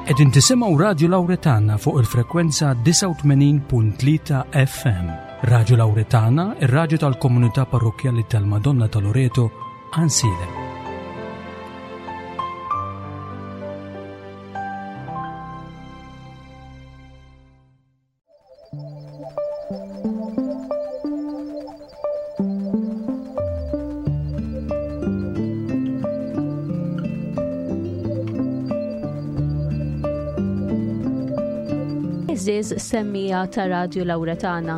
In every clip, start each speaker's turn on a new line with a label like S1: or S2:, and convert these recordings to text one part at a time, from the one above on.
S1: Qegħdin tisimgħu Radju Lawretana fuq il-frekwenza 89.3 FM. Radju Lawretana, ir-radju tal-komunità parrokkjali tal-Madonna ta' Loreto, Ansiedem.
S2: Għeżież semmiegħa ta' Radju Lawretana,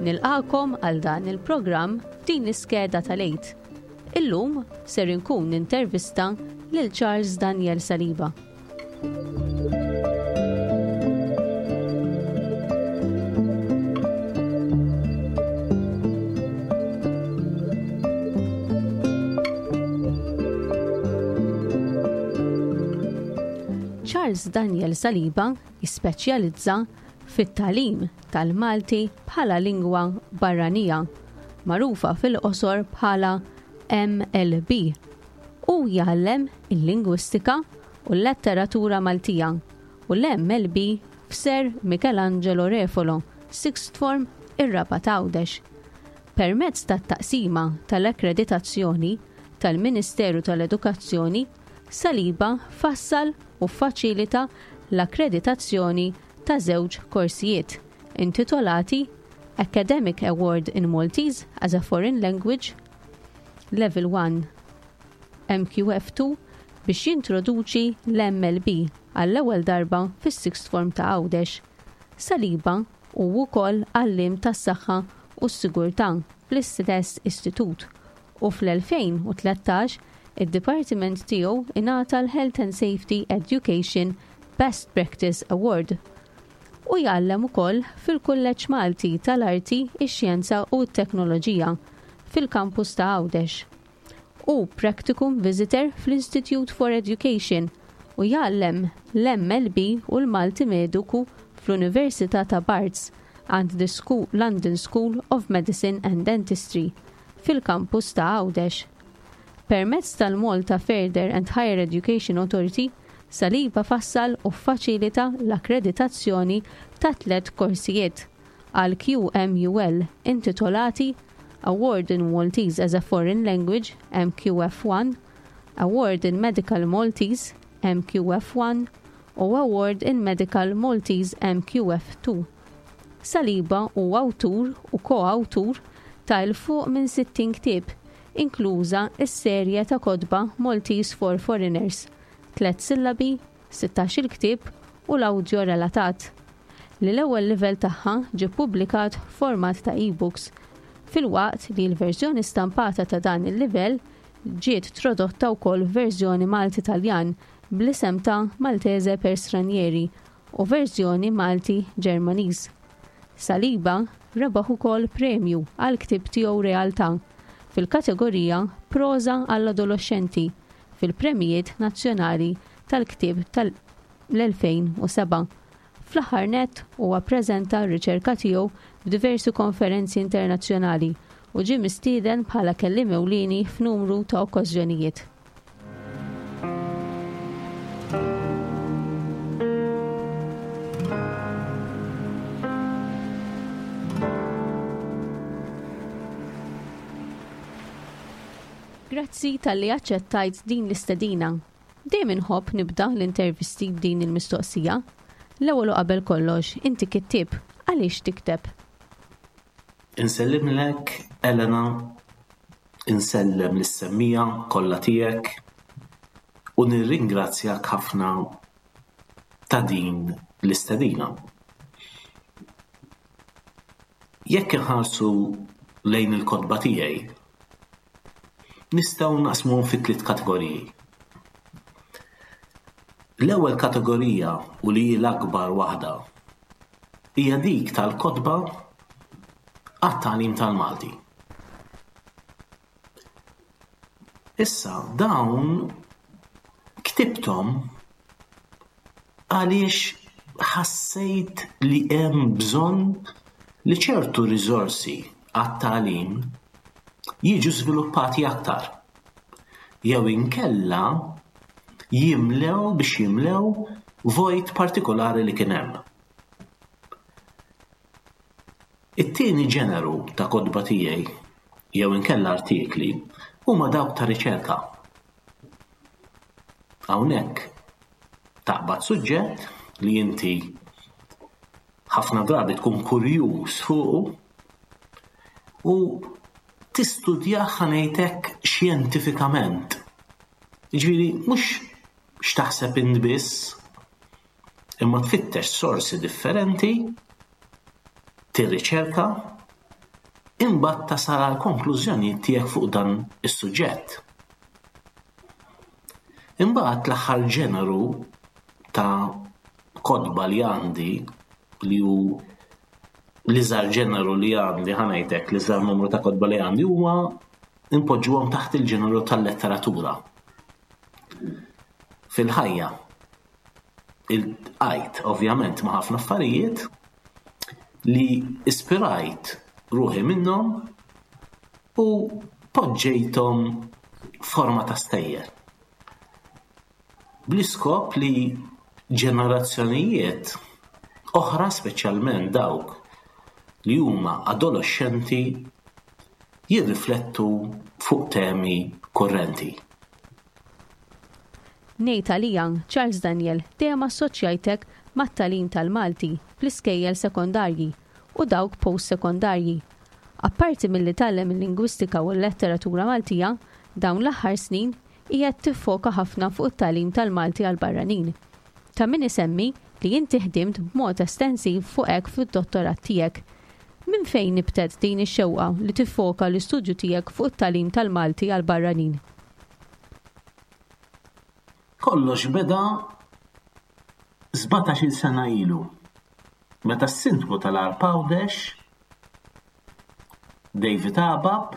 S2: nilqagħkom għal dan il-programm f'din l-iskeda tal-Għid. Illum ser inkun nintervista lil Charles Daniel Saliba. Charles Daniel Saliba jispeċjalizza fit-tagħlim tal-Malti bħala lingwa barranija, magħrufa fil-qosor bħala MLB. Hu jgħallem il-lingwistika u l-letteratura Maltija u l-MLB f'Sir Michelangelo Refolo, Sixth Form, ir-Rabat Għawdex. Permezz tat-taqsima tal-akkreditazzjoni tal-Ministeru tal-Edukazzjoni, Saliba fassal u ffaċilita l-akkreditazzjoni ta' żewġ korsijiet intitolati Academic Award in Maltese as a Foreign Language, Level 1 MQF2 biex jintroduċi l-MLB għall-ewwel darba fis-Sixth Form ta' Għawdex. Saliba hu wkoll għalliem tas-saħħa u s-sigurtà fl-istess istitut u fl-2013 id-dipartiment tiegħu ingħata l-Health and Safety Education Best Practice Award. Hu jgħallem ukoll fil-Kulleġġ Malti tal-Arti, ix-Xjenza u t-Teknoloġija fil-kampus ta' Għawdex. Hu Practicum Visitor fl-Institute for Education u jgħallem l-MLB u l-Malti Mediku fl-Università ta' Barts and the London School of Medicine and Dentistry fil-kampus ta' Għawdex. Permezz tal-Malta Further and Higher Education Authority, Saliba fassal u ffaċilita l-akkreditazzjoni ta' tlett korsijiet għall-QMUL intitolati Award in Maltese as a Foreign Language, MQF1, Award in Medical Maltese, MQF1, u Award in Medical Maltese, MQF2. Saliba huwa awtur u ko-awtur ta' 'l fuq minn 60 ktieb, inkluża s-serje ta' kotba Maltese for Foreigners, Tlett Sillabi, Sittax-il Ktieb u l-awdjo relatat, li l-ewwel livell tagħha ġie ppubblikat f'format ta' e-books, filwaqt li l-verżjoni stampata ta' dan il-livell ġiet tradotta wkoll f'verżjoni Malti-Taljan bl-isem ta' Maltese per Stranieri u verżjoni Malti-Ġermaniż. Saliba rebaħ ukoll premju għall-ktieb tiegħu Realtà fil-kategorija Proża għall-Adoloxxenti fil-Premjijiet Nazzjonali tal-Ktieb tal-2007. Fl-aħħar nett huwa ppreżenta r-riċerka tiegħu f'diversi konferenzi internazzjonali u ġie mistieden bħala kelliem ewlieni f'numru ta' okkażjonijiet. Grazzi talli aċċettajt din l-istedina. Dejjem inħobb nibda l-intervisti b'din il-mistoqsija. L-ewwel u qabel kollox, inti kittieb, għaliex tikteb?
S3: Insellimlek, Elena, Insellem lis-semmiegħa kollha tiegħek u nirringrazzjak ħafna ta' din l-istedina. Jekk inħarsu lejn il-kotba tiegħi, nistgħu naqsmuhom fi tliet kategoriji. L-ewwel kategorija u li hi l-akbar waħda hija dik tal-kotba għat-tagħlim tal-Malti. Issa dawn ktibthom għaliex ħassejt li hemm bżonn li ċertu riżorsi għat-tagħlim jiġu żviluppati aktar jew inkella jimlew biex jimlew vojt partikolari li kien hemm. It-tieni ġeneru ta' kotba tiegħi jew inkella artikli huma dawk ta' riċerka. Hawnhekk taqbad suġġett li inti ħafna drabi tkun kurjuż fuqu u tistudjah ħa ngħid hekk xjentifikament. Jiġifieri mhux x'taħseb int biss, imma tfittex sorsi differenti, tirriċerka, imbagħad tasal għal konklużjonijiet tiegħek fuq dan is-suġġett. Imbagħad l-aħħar ġeneru ta' kotba li għandi li hu l-iżgħar ġeneru li għandi ħa ngħidlek l-iżgħar numru ta' kotba li għandi huwa npoġġuhom taħt il-ġeneru tal-letteratura. Fil-ħajja iltqajt ovvjament ma' ħafna affarijiet li ispirajt ruħi minnhom u poġġejthom forma ta' stejjer. Bl-iskop li ġenerazzjonijiet oħra speċjalment dawk li huma adoloxxenti jirriflettu fuq temi kurrenti.
S2: Ngħid għalija, Charles Daniel, dejjem assoċjajtek mat-tagħlim tal-Malti fl-iskejjel sekondarji u dawk post-sekondarji. Apparti milli tgħallem il-lingwistika u l-letteratura Maltija, dawn l-aħħar snin qiegħed tiffoka ħafna fuq it-tagħlim tal-Malti għall-barranin. Ta' min isemmi li inti ħdimt b'mod estensiv fuq hekk fid-dottorat tiegħek. Minn fejn nibtet din ix-xewqa li tiffoka l-istudju tiegħek fuq it-tagħlim tal-Malti għall-barranin?
S3: Kollox beda sbatax-il sena ilu, meta s-Sindku tal-Għarb Għawdex, David Abab,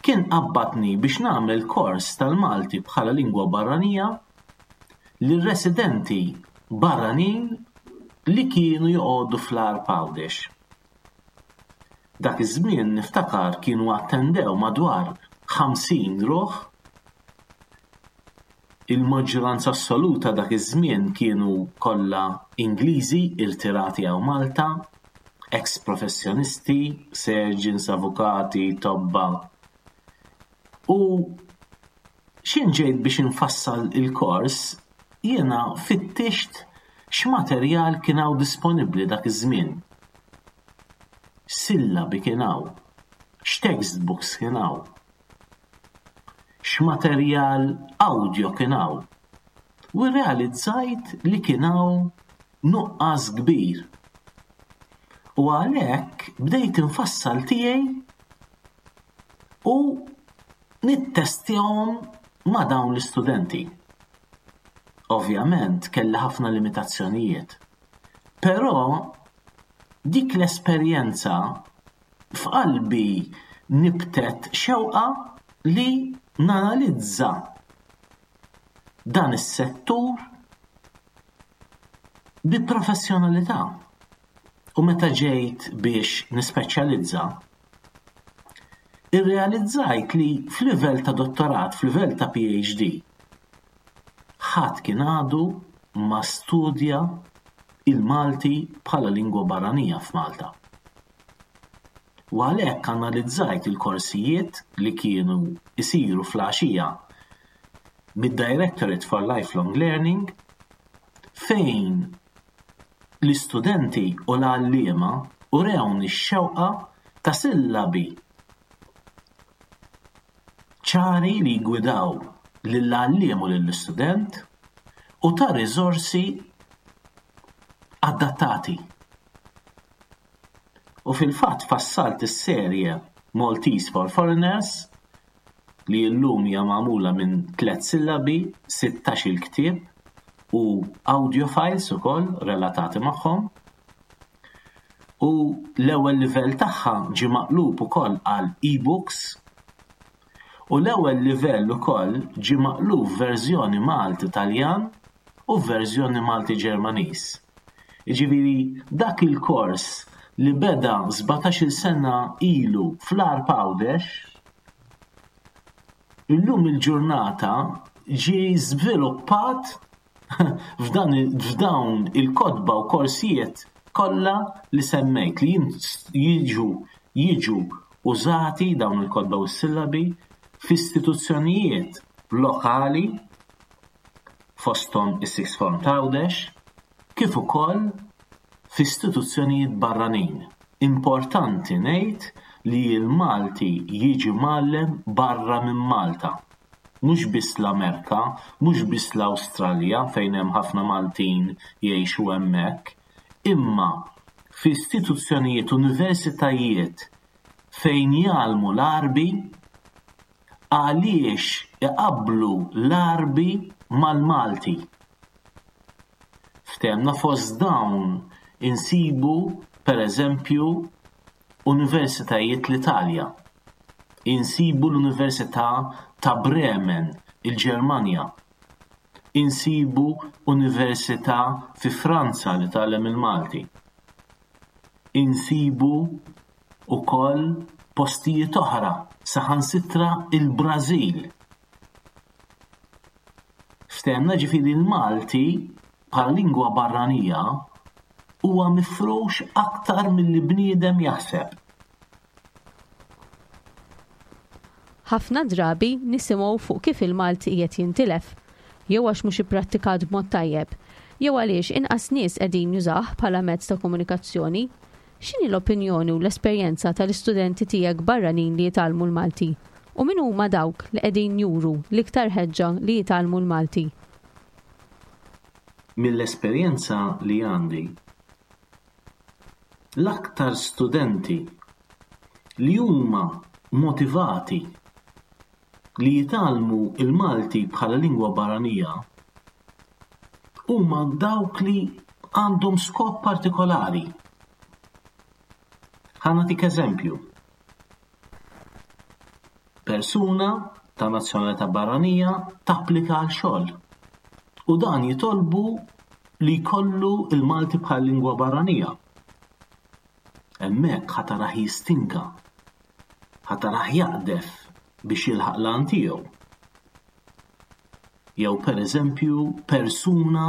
S3: kien qabbadni biex nagħmel kors tal-Malti bħala lingwa barranija lir-residenti barranin li kienu joqogħdu fl-Għarb Għawdex. Dak iż-żmien niftakar kienu attendew madwar 50 ruħ. Il-maġġuranza assoluta dak iż-żmien kienu kollha Ingliżi irtirati hawn Malta, eks professjonisti, surgeons, avukati, tobba. U x'in ġejt biex infassal il-kors, jiena fittixt x'materjal kien hawn disponibbli dak iż-żmien. X'sillabi kien hawn, x'textbooks kien hawn, x'materjal awdjo kien hawn. U rrealizzajt li kien hawn nuqqas kbir. U għalhekk bdejt infassal tiegħi u nittestjahom ma' dawn l-istudenti. Ovvjament kelli ħafna limitazzjonijiet. Però dik l-esperjenza f'qalbi nibtet xewqa li nanalizza dan is-settur bi professjonalità. U meta ġejt biex nispeċjalizza, irrealizzajt li f'livell ta' dottorat, f'livell ta' PhD, ħadd kien għadu ma studja il-Malti bħala lingwa barranija f'Malta. U għalhekk analizzajt il-korsijiet li kienu jsiru fl-għaxija mid-Directorate for Lifelong Learning fejn l-istudenti u l-għalliema urewni x-xewqa ta' sillabi ċari li jgwidaw lill-għalliem u lill-istudent u ta' riżorsi adattati. U fil-fatt fassalt is-serje Maltese for Foreigners li llum hija magħmula minn tlett sillabi, sittax-il ktieb u audio files ukoll relatati magħhom. U l-ewwel livell tagħha ġie maqlub ukoll għal e-books u l-ewwel livell ukoll ġie maqlub f'verżjoni Malti-Taljan u f'verżjoni Malti-Ġermaniż. Jiġifieri dak il-kors li beda sbatax-il sena ilu fl-Għarb Għawdex, illum il-ġurnata ġie żviluppat. f'dan f'dawn il-kotba u korsijiet kollha li semmejt li jiġu jiġu użati dawn il-kotba u s-sillabi f'istituzzjonijiet lokali fosthom is-Sixth Form t'Għawdex kif ukoll f'istituzzjonijiet barranin. Importanti ngħid li l-Malti jiġi mgħallem barra minn Malta. Mhux biss l-Amerka, mhux biss l-Awstralja fejn hemm ħafna Maltin jgħixu hemmhekk, imma f'istituzzjonijiet universitajiet fejn jgħallmu l-Għarbi għaliex iqabblu l-Għarbi mal-Malti. Ftehemna fost dawn insibu per eżempju universitajiet l-Italja. Insibu l-Università ta' Bremen, il-Ġermanja. Insibu università fi Franza li tgħallem il-Malti. Insibu wkoll postijiet oħra, saħansitra il-Brażil. Ftehemna ġifieri l-Malti bħala lingwa barranija huwa mifrux aktar milli bniedem jaħseb.
S2: Ħafna drabi nisimgħu fuq kif il-Malti qiegħed jintilef, jew għax mhux ipprattikat b'mod tajjeb, jew għaliex inqas nies qegħdin jużah bħala mezz ta' komunikazzjoni. X'inhi l-opinjoni u l-esperjenza tal-istudenti tiegħek barranin li jitgħallmu l-Malti? U min huma dawk li qegħdin juru l-iktar ħeġġa li jitgħallmu l-Malti?
S3: Mill-esperjenza li għandi, l-aktar studenti li huma motivati li jitgħallmu l-Malti bħala lingwa barranija huma dawk li għandhom skop partikolari. Ħa nagħtik eżempju. Persuna ta' nazzjonalità barranija tapplika għal xogħol u dan jitolbu li jkollu l-Malti bħal lingwa barranija. Hemmhekk ħa tarah jistinka, ħa tarah jaqdef biex jilħaq l-għan tiegħu. Jew pereżempju persuna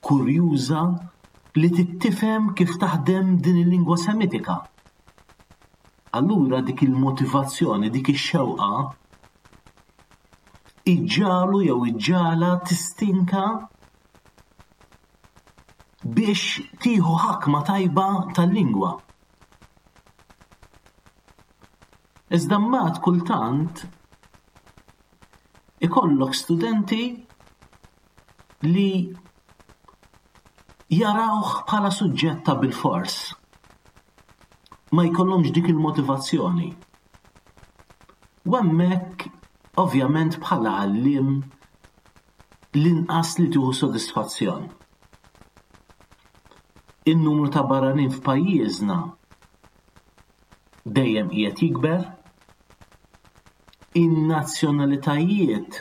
S3: kurjuża li trid tifhem kif taħdem din il-lingwa Semitika. Allura dik il-motivazzjoni, dik ix-xewqa iġġagħlu jew iġġagħla tistinka biex tieħu ħakma tajba tal-lingwa. Iżda mbagħad kultant ikollok studenti li jarawh bħala suġġett ta' bilfors. Ma jkollhomx dik il-motivazzjoni. U hemmhekk ovvjament bħala għalliem l-inqas li tieħu sodisfazzjon. In-numru ta' barranin f'pajjiżna dejjem qiegħed jikber, in-nazzjonalitajiet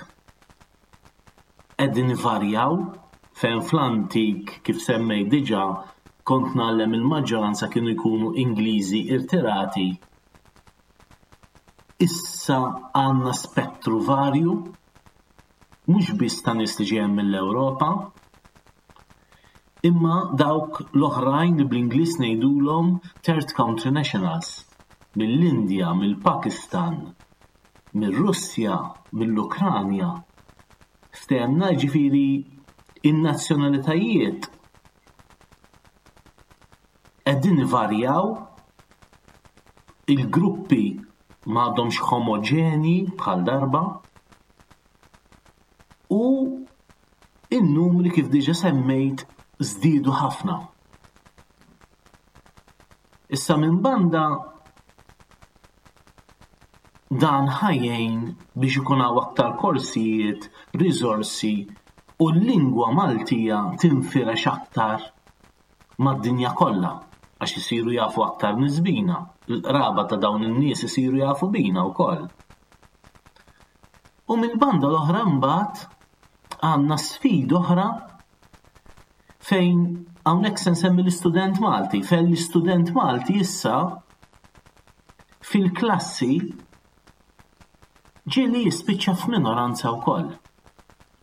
S3: qegħdin ivarjaw fejn fl-antik kif semmejt diġà kont ngħallem il-maġġoranza kienu jkunu Ingliżi irtirati. Issa għandna spettru varju mhux biss ta' nies li ġejjin mill-Ewropa, imma dawk l-oħrajn li bl-Ingliż ngħidulhom third country nationals, mill-Indja, mill-Pakistan, mir-Russja, mill-Ukranja. Ftehemna jiġifieri in-nazzjonalitajiet qegħdin ivarjaw, il-gruppi m'għadhomx homoġenji bħal darba u in-numri kif diġa semmejt żdiedu ħafna. Issa minn banda dan ħa jgħin biex ikun hawn aktar korsijiet, riżorsi u l-lingwa Maltija tinfirex aktar mad-dinja kollha għax isiru jafu aktar nies bina, il-qraba ta' dawn in-nies isiru jafu bina wkoll. U mill-banda l-oħra mbagħad għandna sfida oħra fejn hawnhekk se nsemmi l-istudent Malti, fejn l-istudent Malti issa fil-klassi ġieli jispiċċa f'minoranza wkoll.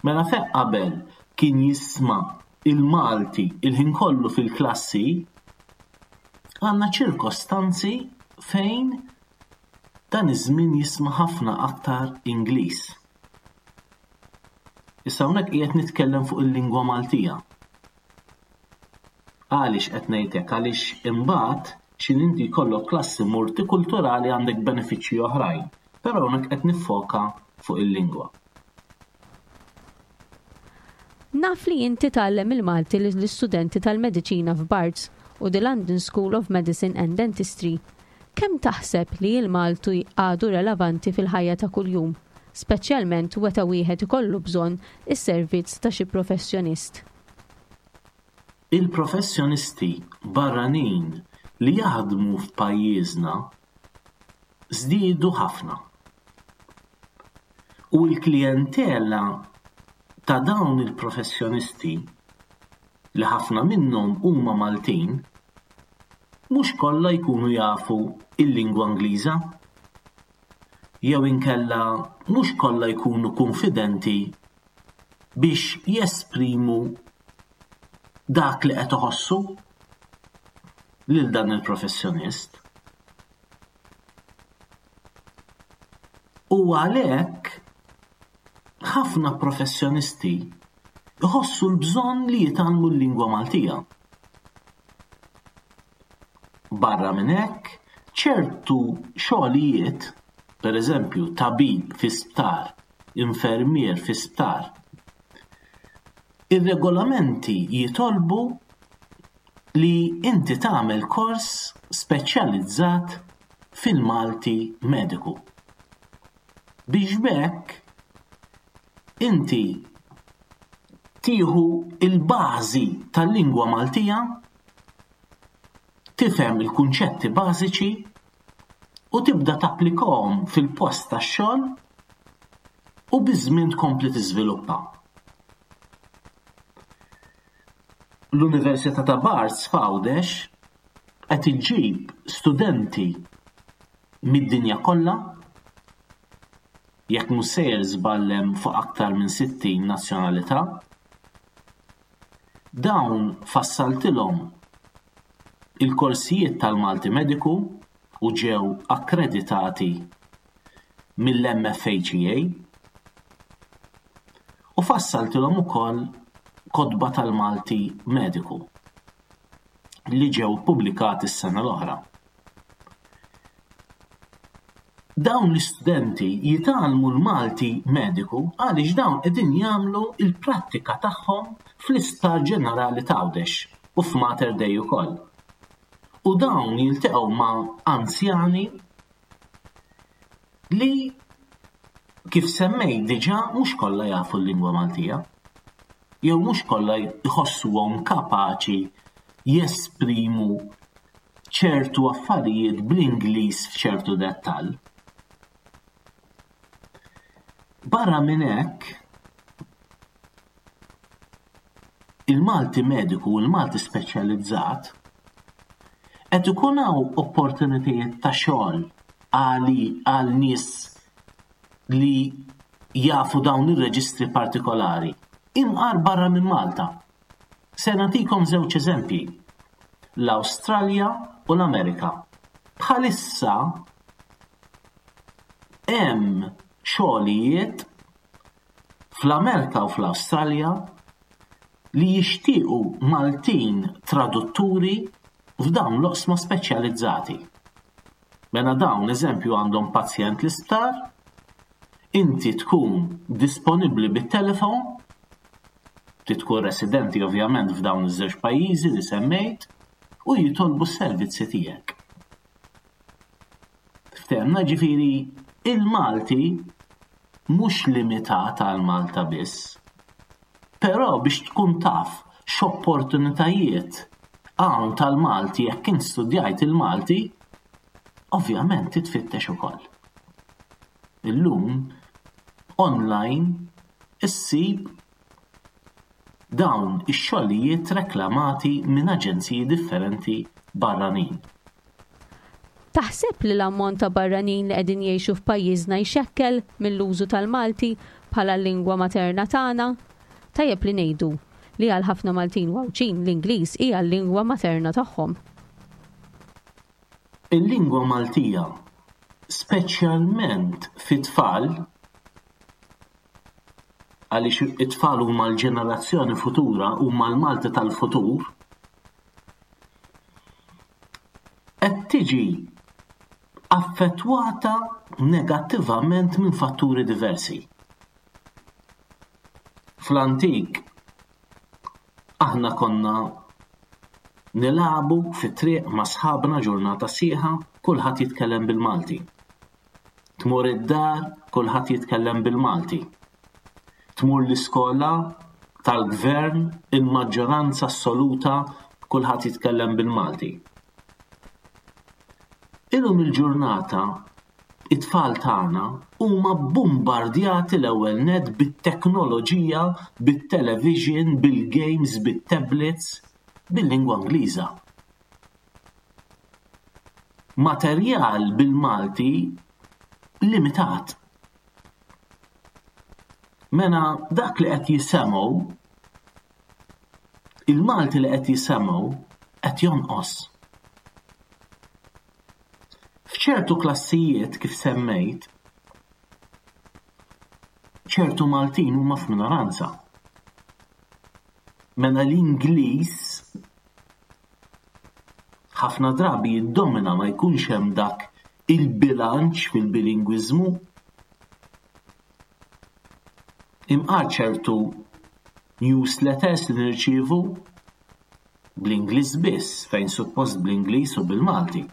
S3: Mela fejn qabel. kien jisma' il-Malti il-ħin kollu fil-klassi, għandna ċirkostanzi fejn dan iż-żmien jisma' ħafna aktar Ingliż. Issa hawnhekk qiegħed nitkellem fuq il-lingwa Maltija. Għaliex qed ngħid hekk? Għaliex imbagħad x'in inti jkollok klassi multikulturali għandek benefiċċji oħrajn, però hawnhekk qed niffoka fuq il-lingwa.
S2: Naf li inti tgħallem il-Malti lill-istudenti tal-mediċina f'Barts u the London School of Medicine and Dentistry. Kemm taħseb li l-Malti għadu relevanti fil-ħajja ta' kuljum, speċjalment weta wieħed ikollu bżonn is-servizz ta' xi professjonist?
S3: Il-professjonisti barranin li jaħdmu f'pajjiżna żdiedu ħafna. U l-klijentela ta' dawn il-professjonisti, li ħafna minnhom huma Maltin, mhux kollha jkunu jafu l-lingwa Ingliża jew inkella mhux kollha jkunu kunfidenti biex jesprimu dak li qed iħossu lil dan il-professjonist. U għalhekk ħafna professjonisti jħossu l-bżonn li jitgħallmu l-lingwa Maltija. Barra minn hekk, ċertu xogħlijiet, pereżempju tabib fi sptar, infermier fi sptar, ir-regolamenti jitolbu li inti tagħmel kors speċjalizzat fil-Malti mediku. Biex b'hekk inti tieħu l-bażi tal-lingwa Maltija, tifhem il-kunċetti bażiċi u tibda tapplikahom fil-post tax-xogħol u biż-żmien tkompli tiżviluppa. L-Università ta' Barts f'Għawdex qed iġġib studenti mid-dinja kollha, jekk mhux sejjer żball hemm fuq aktar minn 60 nazzjonalità. Dawn fassaltilhom il-korsijiet tal-Malti Mediku u ġew akkreditati mill-MFHEA u fassaltilhom ukoll kotba tal-Malti Mediku li ġew ippubblikati s-sena l-oħra. Dawn l-istudenti jitgħallmu l-Malti Mediku għaliex dawn qegħdin jagħmlu l-prattika tagħhom fl-Isptar Ġenerali t'Għawdex u f'Mater Dei ukoll. U dawn jiltaqgħu ma' anzjani li kif semmejt diġà mhux kollha jafu l-lingwa Maltija jew mhux kollha jħossuhom kapaċi jesprimu ċertu affarijiet bl-Ingliż f'ċertu dettall. Barra minn hekk, il-Malti mediku u l-Malti speċjalizzat qed ikun hawn opportunitajiet ta' xogħol għali għal nies li jafu dawn ir-reġistri partikolari imqar barra minn Malta. Se nagħtikom żewġ eżempji, l-Awstralja u l-Amerika. Bħalissa hemm xogħlijiet fl-Amerika u fl-Awstralja li jixtiequ Maltin tradutturi f'dawn l-oqsma speċjalizzati. Mela dawn eżempju għandhom pazjent l-isptar, inti tkun disponibbli bit-telefon, trid tkun residenti ovvjament f'dawn iż-żewġ pajjiżi li semmejt u jitolbu s-servizzi tiegħek. Ftehmna ġifieri il-Malti mhux limitat għal Malta biss. Però biex tkun taf x'opportunitajiet hawn tal-Malti jekk int studjajt il-Malti, ovvjament titfittex ukoll. Illum online issib dawn ix-xogħlijiet reklamati minn aġenziji differenti barranin.
S2: Taħseb li l-ammont ta' barranin li qegħdin jgħixu f'pajjiżna jxekkel mill-użu tal-Malti bħala l-lingwa materna tagħna? Tajjeb li ngħidu li għal ħafna Maltin u Għawdxin l-Ingliż hija l-lingwa materna tagħhom.
S3: Il-lingwa Maltija, speċjalment fit-tfal, għaliex it-tfal huma l-ġenerazzjoni futura, huma l-Malti tal-futur, qed tiġi affettwata negattivament minn fatturi diversi. Fl-antik aħna konna nilagħbu fit-triq ma' sħabna ġurnata sħiħa, kulħadd jitkellem bil-Malti. Tmur id-dar, kulħadd jitkellem bil-Malti. Tmur l-iskola tal-gvern, il-maġġoranza assoluta kulħadd jitkellem bil-Malti. Illum il-ġurnata it-tfal tagħna huma bombardjati l-ewwel nett bit-teknoloġija, bit-television, bil-games, bit-tablets, bil-lingwa Ingliża. Materjal bil-Malti limitat. Mela dak li qed jisemgħu il-Malti li qed jisemgħu qed jonqos. F'ċertu klassijiet kif semmejt, ċertu Maltin huma f'minoranza. Mela l-Ingliż ħafna drabi jiddomina ma jkunx hemm dak il-bilanċ fil-bilingwiżmu. Imqar ċertu newsletters li nirċievu bl-Ingliż biss fejn suppost bl-Ingliż u bil-Malti.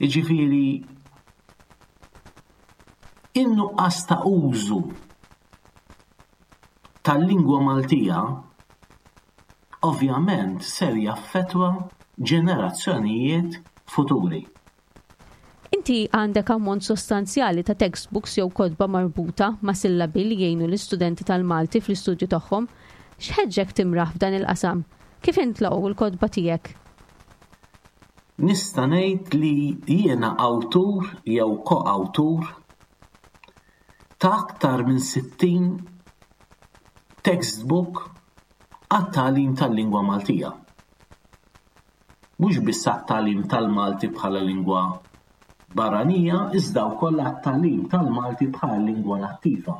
S3: Jiġifieri in-nuqqas ta' użu tal-lingwa Maltija ovvjament ser jaffettwa ġenerazzjonijiet futuri.
S2: Inti għandek ammont sostanzjali ta' textbooks jew kotba marbuta ma' sillabi li jgħinu l-istudenti tal-Malti fl-istudju tagħhom. X'ħeġġek timraħ f'dan il-qasam? Kif intlaqgħu l-kotba tiegħek?
S3: Nista' ngħid li jiena awtur jew ko-awtur ta' aktar minn 60 textbook għat-tagħlim tal-lingwa Maltija. Mhux biss għat-tagħlim tal-Malti bħala lingwa barranija iżda wkoll għat-tagħlim tal-Malti bħala lingwa nattiva.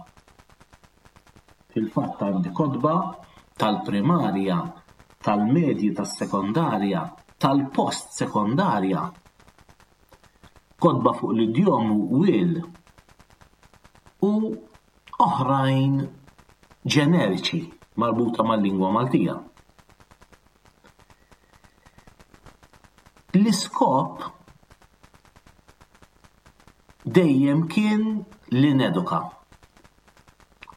S3: Fil-fatt għandi kotba tal-primarja, tal-medji, tas-sekondarja, tal-post sekondarja, kotba fuq l-idjomu wil u oħrajn ġeneriċi marbuta mal-lingwa Maltija. L-iskop dejjem kien li neduka.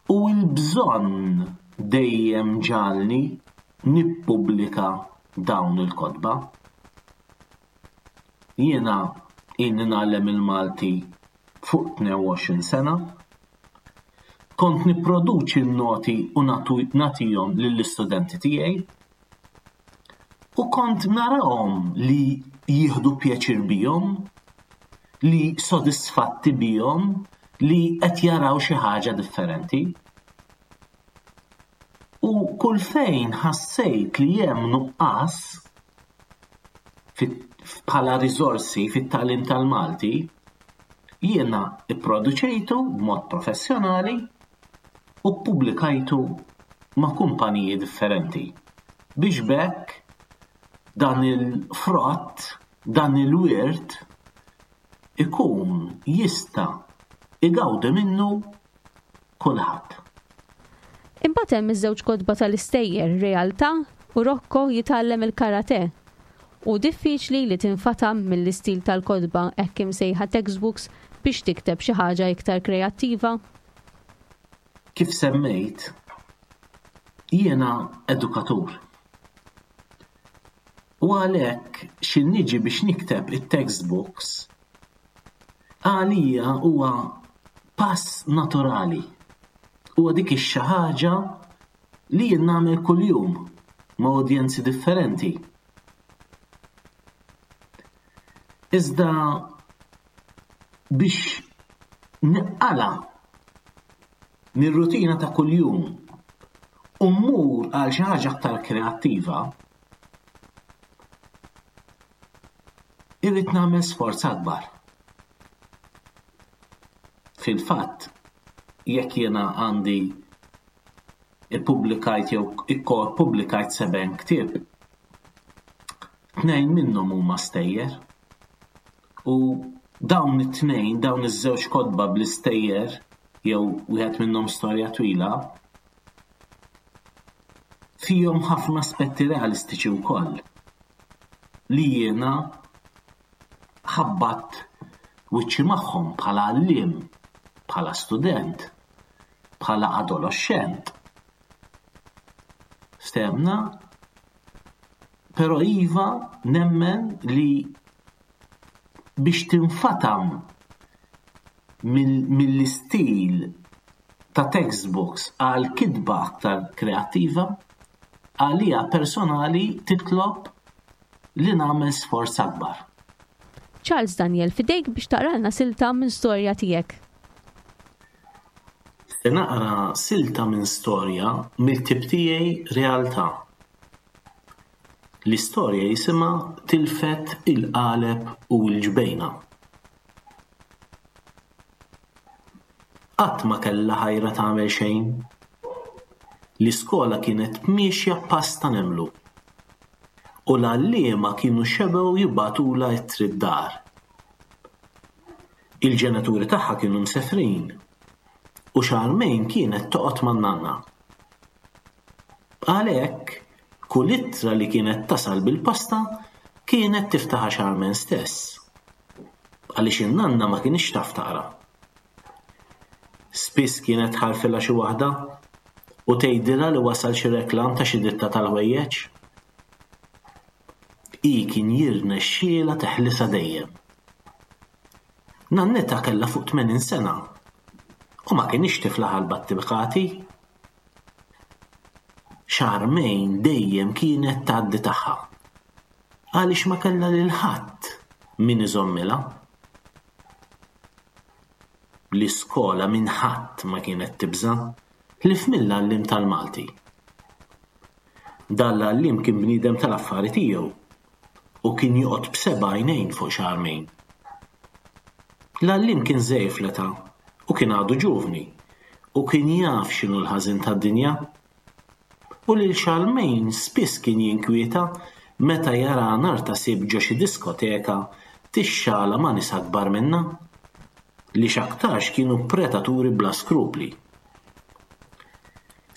S3: U l-bżonn dejjem ġagħalni nippubblika dawn il-kotba. Jiena ilni ngħallem il-Malti fuq 22 sena. Kont nipproduċi n-noti u nagħtihom lill-istudenti tiegħi. U kont narahom li jieħdu pjaċir bihom, li sodisfatti bihom, li qed jaraw xi ħaġa differenti. U kull fejn ħassejt li hemm nuqqas bħala riżorsi fit-tagħlim tal-Malti, jiena pproduċejtu b'mod professjonali u ppubblikajtu ma' kumpaniji differenti biex b'hekk dan il-frott, dan il-wirt ikun jista' igawdi minnu kulħadd.
S2: Imbagħad hemm iż-żewġ kotba tal-istejjer Realtà u Rocco jitgħallem il-karate. Hu diffiċli li tinfatam mill-istil tal-kotba hekk imsejħa textbooks biex tikteb xi ħaġa iktar kreattiva?
S3: Kif semmejt, jiena edukatur. U għalhekk xi niġi biex nikteb it-textbooks għalija huwa pass naturali. Huwa dik ix-xi ħaġa li jien nagħmel kuljum ma' udjenzi differenti. Iżda biex nqala. mir-rutina ta' kuljum u mmur għal xi ħaġa aktar kreattiva, irrid nagħmel sforz akbar. Fil-fatt, jekk jiena għandi ippubblikajt jew ikkopubblikajt seben ktieb, tnejn minnhom huma stejjer. U dawn it-tnejn, dawn iż-żewġ kotba bl-istejjer jew wieħed minnhom storja twila, fihom ħafna aspetti realistiċi wkoll li jiena ħabbatt wiċċi magħhom bħala għalliem, bħala student, bħala adoloxxent. Ftehmna? Però iva nemmen li biex tinfatam mill-istil ta' textbooks għal kitba aktar kreattiva, għalija personali titlob li nagħmel sforz akbar.
S2: Charles Daniel, f'idejk biex taqralna silta minn storja tiegħek.
S3: Se naqra silta minn storja mill-ktieb tiegħi Realtà. L-istorja jisimha Tilfet il-Qaleb u l-Ġbejna. Qatt ma kellha ħajra tagħmel xejn. L-iskola kienet miexja pass ta' nemlu. U l-għalliema kienu xebgħu jibagħtulha ittri d-dar. Il-ġenituri tagħha kienu msefrin u Charmaine kienet toqgħod man-nanna. Għalhekk, kull ittra li kienet tasal bil-posta kienet tiftaħha Charmaine stess. Għaliex in-nanna ma kinitx taf taqra. Spiss kienet tħarrfilha xi waħda u tgħidilha li wasal xi reklam ta' xi ditta tal-ħwejjeġ. Hi kien jirnexxielha teħlisha dejjem. Nannitha kellha fuq 80 sena u ma kinitx tiflaħ għall-battikati. Charmaine dejjem kienet tgħaddi tagħha għaliex ma kellha lil ħadd min iżommilha. L-iskola minn ħadd ma kienet tibża' ħlief mill-għalliem tal-Malti. Dan l-għalliem kien bniedem tal-affari tiegħu u kien joqgħod b'seba' għajnejn fuq Charmaine. L-għalliem kien żgħir fl-età u kien għadu ġuvni u kien jaf x'inhu l-ħażin tad-dinja. U lil Charmaine spiss kien jinkwieta meta jaraha nhar ta' Sibt ġo xi diskoteka tixxala ma' nies akbar minnha, li x'aktarx kienu predaturi bla skrupli.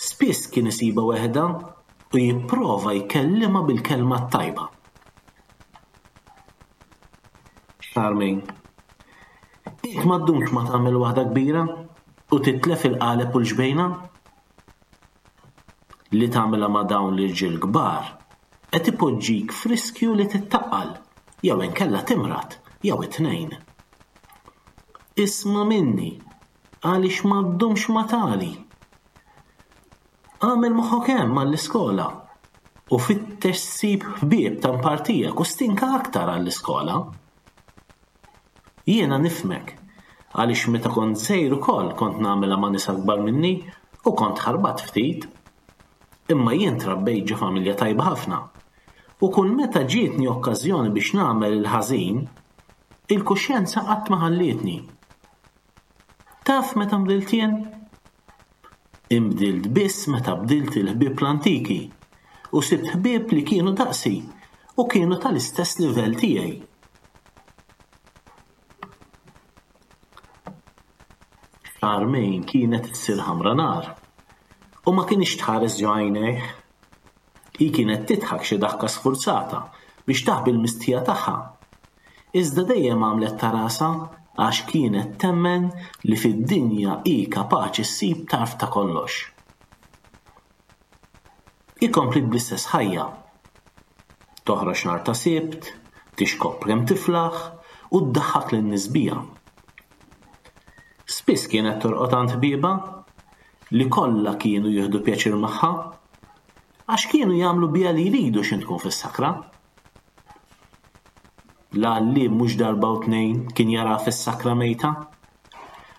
S3: Spiss kien isibha weħidha u jipprova jkellimha bil-kelma t-tajba. Charmaine, int ma ddumx ma tagħmel waħda kbira u titlef il-qaleb u l-ġbejna? Li tagħmilha ma' dawn l-irġiel kbar qed ipoġġik f'riskju li tittaqqal jew inkella timrad jew it-tnejn. Isma' minni għaliex ma ddumx ma tagħli. Agħmel moħħok hemm għall-iskola u fittex ssib ħbieb ta' mpartijek u stinka aktar għall-iskola. Jiena nifhmek, għaliex meta kont żgħir ukoll kont nagħmilha ma' nies akbar minni u kont ħarbat ftit. Imma jien trabbejt ġo familja tajba ħafna u kull meta ġietni okkażjoni biex nagħmel il-ħażin, il-kuxjenza qatt ma ħallietni. Taf meta nbdilt jien? Inbdilt biss meta bdilt il-ħbieb l-antiki u sibt ħbieb li kienu daqsi u kienu tal-istess livell tiegħi. Charmaine kienet issir ħamra nar u ma kinitx tħares ġo għajnejh. Hi kienet tidħak xi daħka sfurzata biex taħbi l-mistħija tagħha. Iżda dejjem għamlet ta' rasha għax kienet temmen li fid-dinja hi kapaċi ssib tarf ta' kollox. Hi kompliet bl-istess ħajja. Toħroġ nhar ta' Sibt, tixkopp kemm tiflaħ u ddaħħak lin-nies biha. Spiss kienet torqod għand ħbiebha li kollha kienu jieħdu pjaċir magħha għax kienu jagħmlu biha li jridu x'in tkun fis-sakra. L-għalliem mhux darba u tnejn kien jaraha fis-sakra mejta.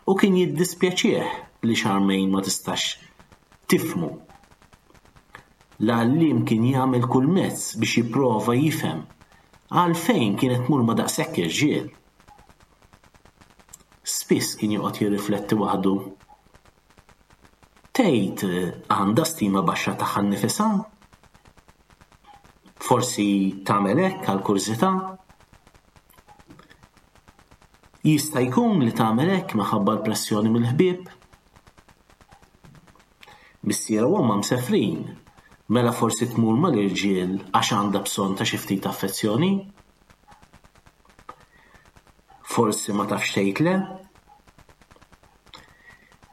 S3: U kien jiddispjaċih li Charmaine ma tistax tifhmu. L-għalliem kien jagħmel kull mezz biex jipprova jifhem għalfejn kienet tmur ma' daqshekk irġiel. Spiss kien joqgħod jirrifletti waħdu. Tgħid għandha stima baxxa tagħha nnifisha? Forsi tagħmel hekk għal kurżità? Jista' jkun li tagħmel hekk minħabba l-pressjoni mill-ħbieb? Missierha u ommha msefrin, mela forsi tmur mal-irġiel għax għandha bżonn ta' xi ftit affezzjoni? Forsi ma tafx tgħid le?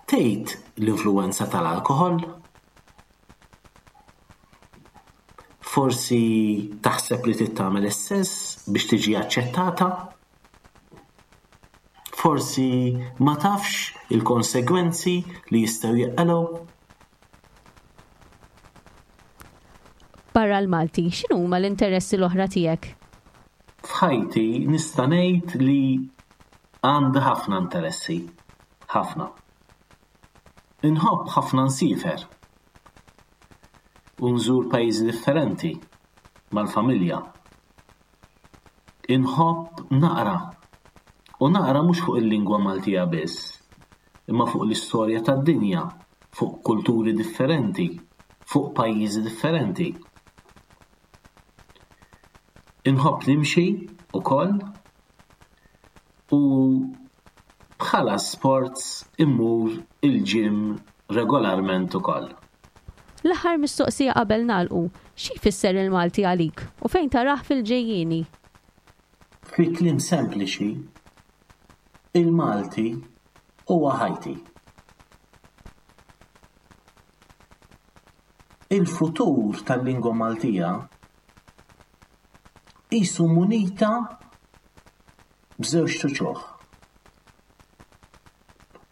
S3: Tgħid l-influwenza tal-alkoħol? Forsi taħseb li trid tagħmel is-sess biex tiġi aċċettata? Forsi ma tafx il-konsegwenzi li jistgħu jeqgħu?
S2: Barra l-Malti, x'inhuma l-interessi l-oħra tiegħek?
S3: F'ħajti nista' ngħid li għandi ħafna interessi, ħafna. Inħobb ħafna nsiefer u nżur pajjiżi differenti mal-familja. Inħobb naqra, u naqra mhux fuq il-lingwa Maltija biss, imma fuq l-istorja tad-dinja, fuq kulturi differenti, fuq pajjiżi differenti. Inħobb nimxi wkoll u bħala sports immur il-gym regolarment ukoll.
S2: L-aħħar mistoqsija qabel nagħlqu, xi jfisser il-Malti għalik u fejn tarah fil-ġejjieni?
S3: Fi kliem sempliċi, il-Malti huwa ħajti. Il-futur tal-lingwa Maltija qisu munita b'żewġt uċuħ.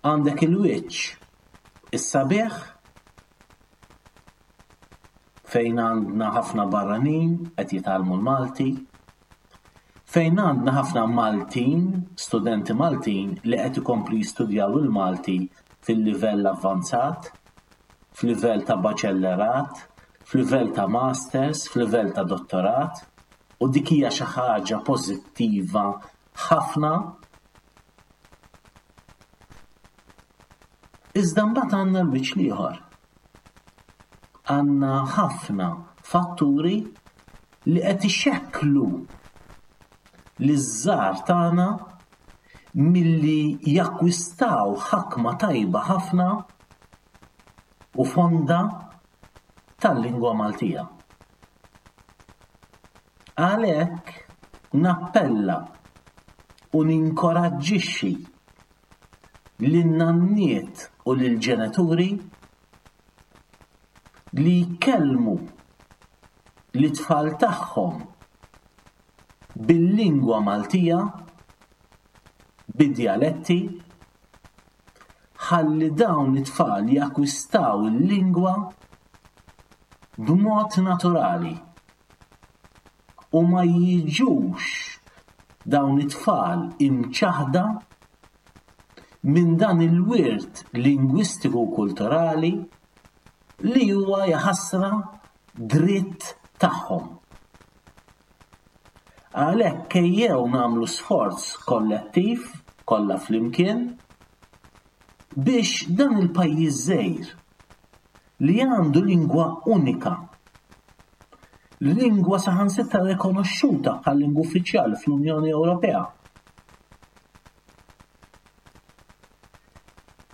S3: Għandek il-wiċċ is-sabiħ fejn għandna ħafna barranin qed jitgħallmu l-Malti, fejn għandna ħafna Maltin, studenti Maltin li qed ikomplu jistudjaw il-Malti fil-livell avvanzat, f'livell ta' baċellerat, f'livell ta' masters, f'livell ta' dottorat, u dik hija xi ħaġa pożittiva ħafna. Iżda mbagħad għandna l-wiċċ l-ieħor. Għandna ħafna fatturi li qed ixekklu liż-żgħar tagħna milli jakkwistaw ħakma tajba ħafna u fonda tal-lingwa Maltija. Għalhekk nappella u ninkoraġġixxi lin-nanniet u lill-ġenituri li jkellmu lit-tfal tagħhom bil-lingwa Maltija, bid-djaletti, ħalli dawn it-tfal jakkwistaw il-lingwa b'mod naturali u ma jiġux dawn it-tfal imċaħħda minn dan il-wirt lingwistiku u kulturali li huwa jaħasra dritt tagħhom. Għalhekk ejjew nagħmlu sforz kollettiv kollha flimkien biex dan il-pajjiż żgħir li għandu lingwa unika, lingwa saħansitra rikonoxxuta bħal lingwa uffiċjali fl-Unjoni Ewropea,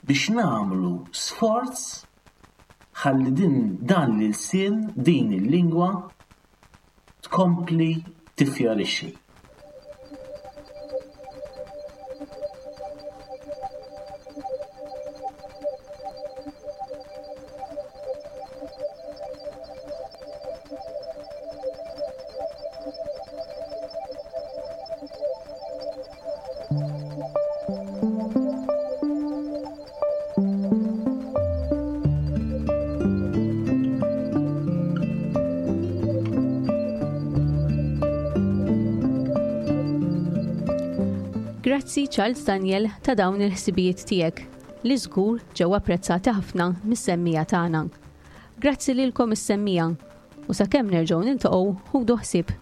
S3: biex nagħmlu sforz ħalli din dan l-ilsien, din il-lingwa tkompli tiffjorixxi.
S2: Grazzi Charles Daniel ta' dawn il-ħsibijiet tiegħek li żgur ġew apprezzati ħafna mis-semmiegħa tagħna. Grazzi lilkom is-semmiegħa u sakemm nerġgħu niltaqgħu ħudu ħsieb.